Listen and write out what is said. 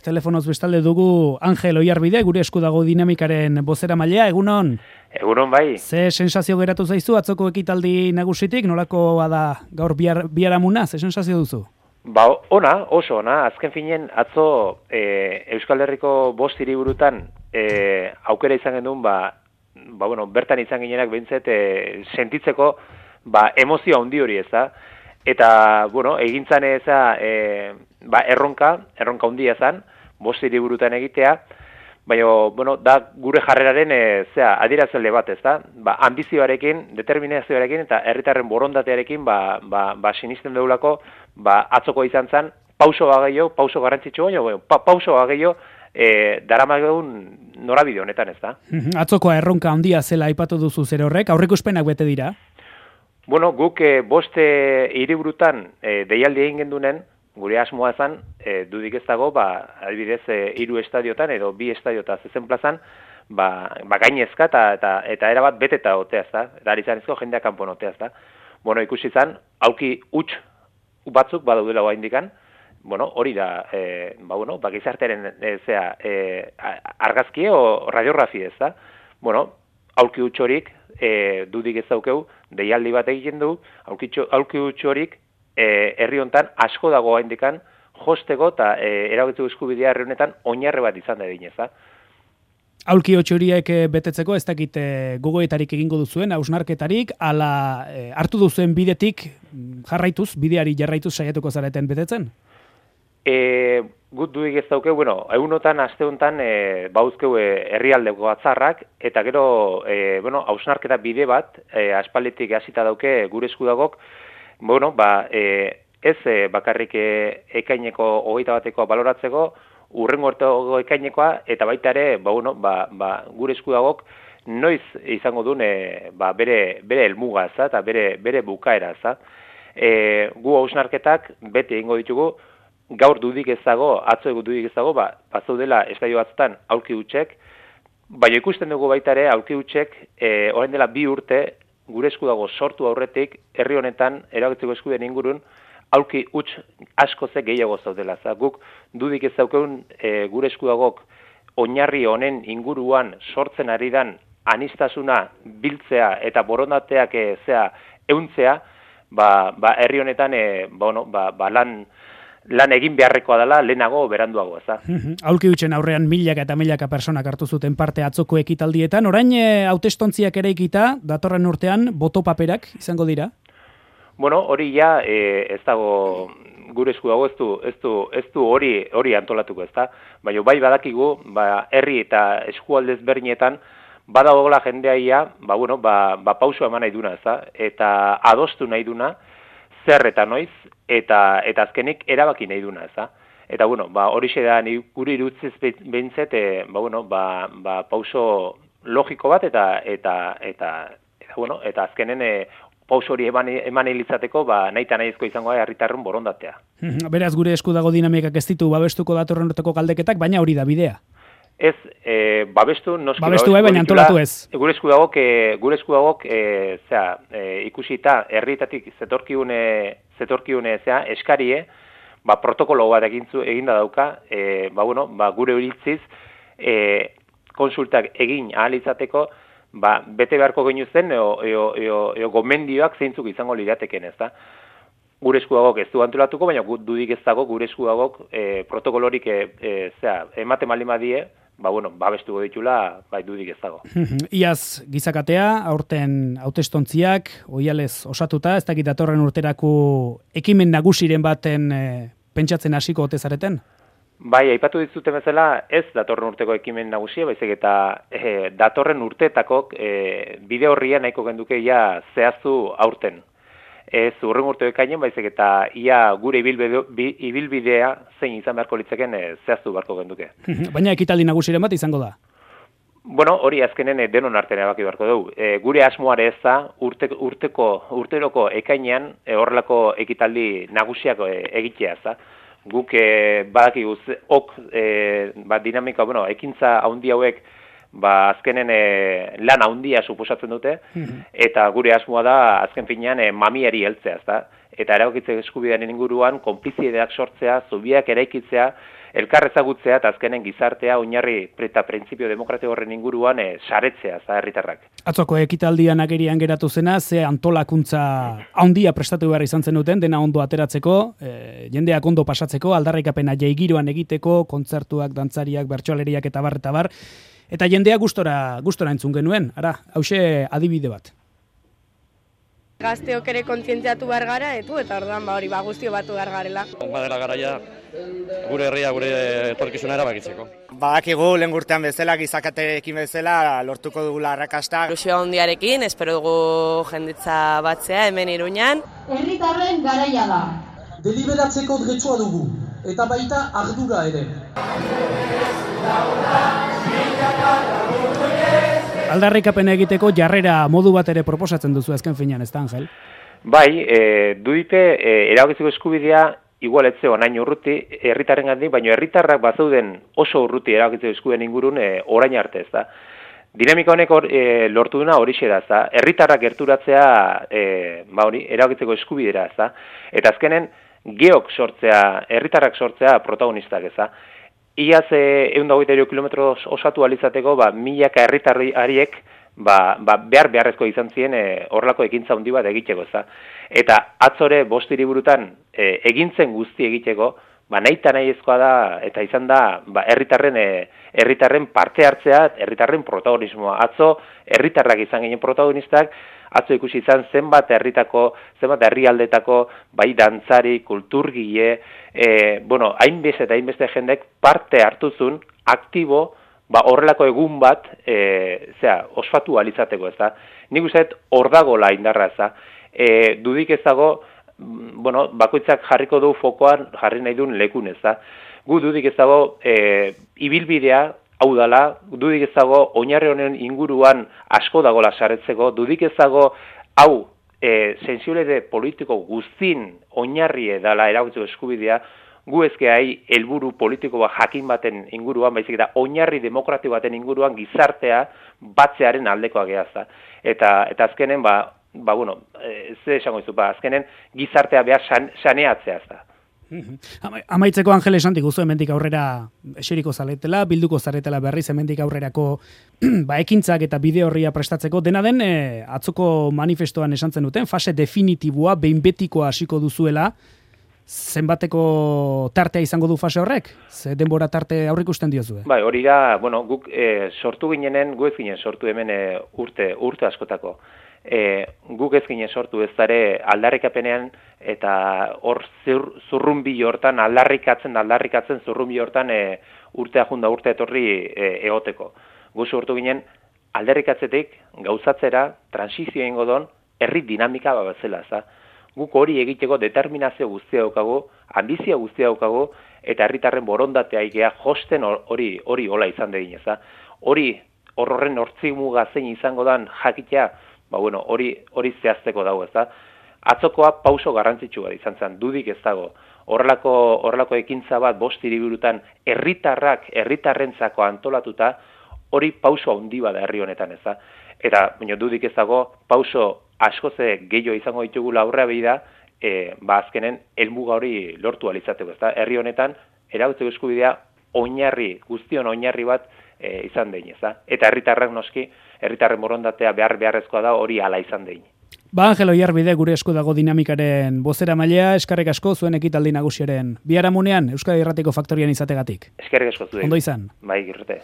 telefonoz bestalde dugu Angel Oiarbide, gure esku dago dinamikaren bozeramailea, egunon? Egunon bai. Ze sensazio geratu zaizu atzoko ekitaldi nagusitik, nolakoa da gaur biharamuna, ze sensazio duzu? Ba, oso ona, azken finen atzo Euskal Herriko 5 hiriburutan aukera izan genuen, bertan izan ginenak behintzet sentitzeko emozio handi hori, ez da? Eta, egintzan erronka handia zen, 5 hiriburutan egitea, baina, da gure jarreraren adierazle bat, ez da? Ambizioarekin, determinazioarekin eta herritarren borondatearekin sinisten deulako, atzoko izan zen, pauso garrantzitsu baino, pauso gehiago daramagun norabide honetan, ez da? Atzokoa erronka handia zela aipatu duzu zer horrek, aurreikuspenak bete dira? Guk 5 hiriburutan deialdi egin gendunen, gure asmoa ezan, dudik ez dago, adibidez 3 estadiotan edo 2 estadiota zezen plazan, gainezka eta erabat beteta otea, ez da? Eta ari zanezko jendeak kanpon otea, ez da? Ikusi zan, aulki huts batzuk badaudela hoa indikan, hori da, gizartearen argazkie o radiografia, ez da? Aulki huts horik, dudik ez daukeu, deialdi bat egiten du, aulki huts horik, herri hontan asko dago indikan, josteko eta erabakitzeko eskubidea herri honetan oinarri bat izan da egin, ez da? Aulki huts horiek betetzeko, ez dakit gogoetarik egingo duzuen, hausnarketarik, ala hartu duzuen bidetik bideari jarraituz saiatuko zareten betetzen? Gut duik ez dauke, egunotan, aste honetan, bauzkeu herrialdeko batzarrak, eta gero, hausnarketa bide bat, aspalditik hasita dauke gure eskudagok, ez bakarrik ekaineko 21 baloratzeko, urrengo urtego ekainekoa, eta baita ere, gure eskudagok noiz izango duen bere helmuga, eta bere bukaera, gu hausnarketak beti egingo ditugu, gaur dudik ez dago, atzo dudik ez dago, bazaudela estadio batzutan aulki hutsek, baina ikusten dugu baita ere aulki hutsek, orain dela 2 urte, gure eskudago sortu aurretik, herri honetan, erabakitzeko eskubideen ingurun, aulki huts asko gehiago zaudela. Guk dudik ez daukeun gure eskudagok oinarri honen inguruan sortzen ari dan aniztasuna biltzea eta borondateak ehuntzea, herri honetan lan egin beharrekoa dela lehenago beranduago, ez da? Aulki hutsen aurrean milaka eta milaka personak hartu zuten parte atzoko ekitaldietan, orain hautestontziak eraikita, datorren urtean, botopaperak izango dira? Hori ja, ez dago gure esku dago, ez du hori antolatuko, ez da? Baina bai badakigu, herri eta eskualdez berdinetan, badagoela jendeaia, pauso eman nahi duna, ez da? Eta adostu nahi duna, zer eta noiz, eta azkenik erabaki nahi duna, ez da? Eta, hori da gure irutziz behintzet, pauso logiko bat, eta azkenen pauso hori eman hilizateko, nahi eta nahizko izango herritarren borondatea. Beraz, gure esku dago dinamikak ez ditu babestuko datorren urteko galdeketak, baina hori da bidea. Ez, babestu baina antolatu ez. Gure eskudagok ikusita herrietatik zetorkiune eskarie, protokolo bat eginda dauka, gure iritziz konsultak egin ahal izateko, bete beharko genuzen gomendioak zeintzuk izango lirateken, ez da? Gure eskudagok ez du antolatuko, baina dudik ez dago gure eskudagok protokolorik ematen baldin badie, babestuko ditula, dudik ez dago. Iaz gizakatea, aurten hautestontziak, oihalez osatuta, ez dakit datorren urterako ekimen nagusiren baten pentsatzen hasiko ote zareten? Bai, aipatu dizuten bezala, ez datorren urteko ekimen nagusia, baizik eta datorren urteetakok bide horria nahiko genduke ia zehaztu aurten. Ez urren urteko ekainen, baizik eta ia gure ibilbidea zein izan beharko litzeken zehaztu beharko genduke. Baina ekitaldi nagusiren bat izango da? Hori azkenen denon artean erabaki beharko dugu. Gure asmoare ez da urteroko ekainean horrelako ekitaldi nagusiak egitea, ez da? Guk badakigu dinamika, ekintza haundi hauek azkenen lan haundia suposatzen dute, eta gure asmoa da azken finean mamiari heltzea, ezta? Eta erabakitzeko eskubidearen inguruan konplizidadeak sortzea, zubiak eraikitzea, elkar ezagutzea eta azkenen gizartea oinarri eta printzipio demokratiko horren inguruan saretzea za herritarrak. Atzoko ekitaldian agerian geratu zena, ze antolakuntza handia prestatu behar izan zenuten, dena ondo ateratzeko, jendeak ondo pasatzeko, aldarrikapena jaigiroan egiteko, kontzertuak, dantzariak, bertsolariak eta bar. Eta jendea gustora entzun genuen, hauxe adibide bat. Gazteok ere kontzientziatu behar gara, eta orduan hori guztio batu behar garela. Badela garaia gure herria, gure etorkizuna erabakitzeko. Badakigu lehen urtean bezala, gizakaterekin bezala, lortuko dugula arrakasta. Ilusio handiarekin, espero dugu jenditza batzea hemen Iruñan. Herritarren garaia da. Deliberatzeko dretsua dugu, eta baita ardura ere. Aldarrikapena egiteko jarrera modu bat ere proposatzen duzu azken finean, ez da, Angel? Bai, dudite erabakitzeko eskubidea igual etze onain urruti herritarrengandik, baina herritarrak bazeuden oso urruti erabakitzeko eskubideen ingurun orain arte, ez da. Dinamika honek lortu duna horixe da, ez da. Herritarrak gerturatzea erabakitzeko eskubidera, ez da. Eta azkenen geok sortzea, herritarrak sortzea protagonistak, ez da. Iaz 123 kilometro osatu alizateko, milaka herritarriek beharrezko izan ziren horrelako ekintza handi bat egiteko, ez. Eta atzore 5 hiriburutan egintzen guzti egiteko, nahita nahiezkoa da eta izan da herritarren parte hartzea, herritarren protagonismoa. Atzo herritarrak izan ginen protagonistak, atzo ikusi izan zenbat herrialdetako bai dantzari, kulturgile, hainbeste eta hainbeste jendek parte hartuzun aktibo horrelako egun bat ospatu alizateko, ez da. Nik uste hor dagoela indarra, ez da. Dudik ez dago, bakoitzak jarriko du fokoan jarri nahi duen lekun, ez da. Gu dudik ez dago ibilbidea, hau dala, dudik ez dago oinarri honen inguruan asko dagoela saretzeko, dudik ez dago hau sensibilitate politiko guztin oinarri dela erabakitzeko eskubidea, gu ezkeai helburu politiko jakin baten inguruan, baizik eta oinarri demokratiko baten inguruan gizartea batzearen aldekoa gehazta. Eta azkenen, ze esango izu, azkenen gizartea behar saneatzea da. Amaitzeko Angel esan diguzu hemendik aurrera eseriko zaretela, bilduko zaretela berriz hemendik aurrerako ekintzak eta bide horria prestatzeko. Dena den, atzoko manifestoan esan zenuten, fase definitiboa, behin betikoa hasiko duzuela, zenbateko tartea izango du fase horrek? Ze denbora tarte aurrikusten diozue? Bai, hori da, guk sortu ginenen, gu ez ginen sortu hemen urte askotako. Guk ez ginen sortu ez dara aldarrikapenean eta hor zurrumbi hortan, aldarrikatzen zurrumbi hortan urtea junda urte etorri egoteko. Gu sortu ginen aldarrikatzetik gauzatzera, transizio egingo don, herri dinamika bezala, ez da. Guk hori egiteko determinazio guztia daukagu, ambizia guztia daukagu, eta herritarren borondatea ikea josten hori hola izan degin, ez da. Horren hortzimuga zein izango dan jakitea, hori zehazteko dago, ez da. Atzokoa pauso garrantzitsu bat izan zen, dudik ez dago. Horrelako ekintza bat 5 hiriburutan herritarrentzako antolatuta, hori pauso handi bada herri honetan, ez da. Eta dudik ez dago, pauso askoze gehiago izango ditugula aurrea behi da, azkenen helmuga hori lortu alizateko, ez da. Herri honetan, erabakitzeko eskubidea guztion oinarri bat izan dein, ez da. Eta herritarrak noski, herritarren borondatea beharrezkoa da hori hala izan dein. Angel Oiarbide gure esku dago dinamikaren bozeramailea, eskerrik asko zuen ekitaldi nagusiaren biharamunean Euskadi Irratiko Faktorian izategatik. Eskerrik asko zuen. Ondo izan. Bai, Girrete.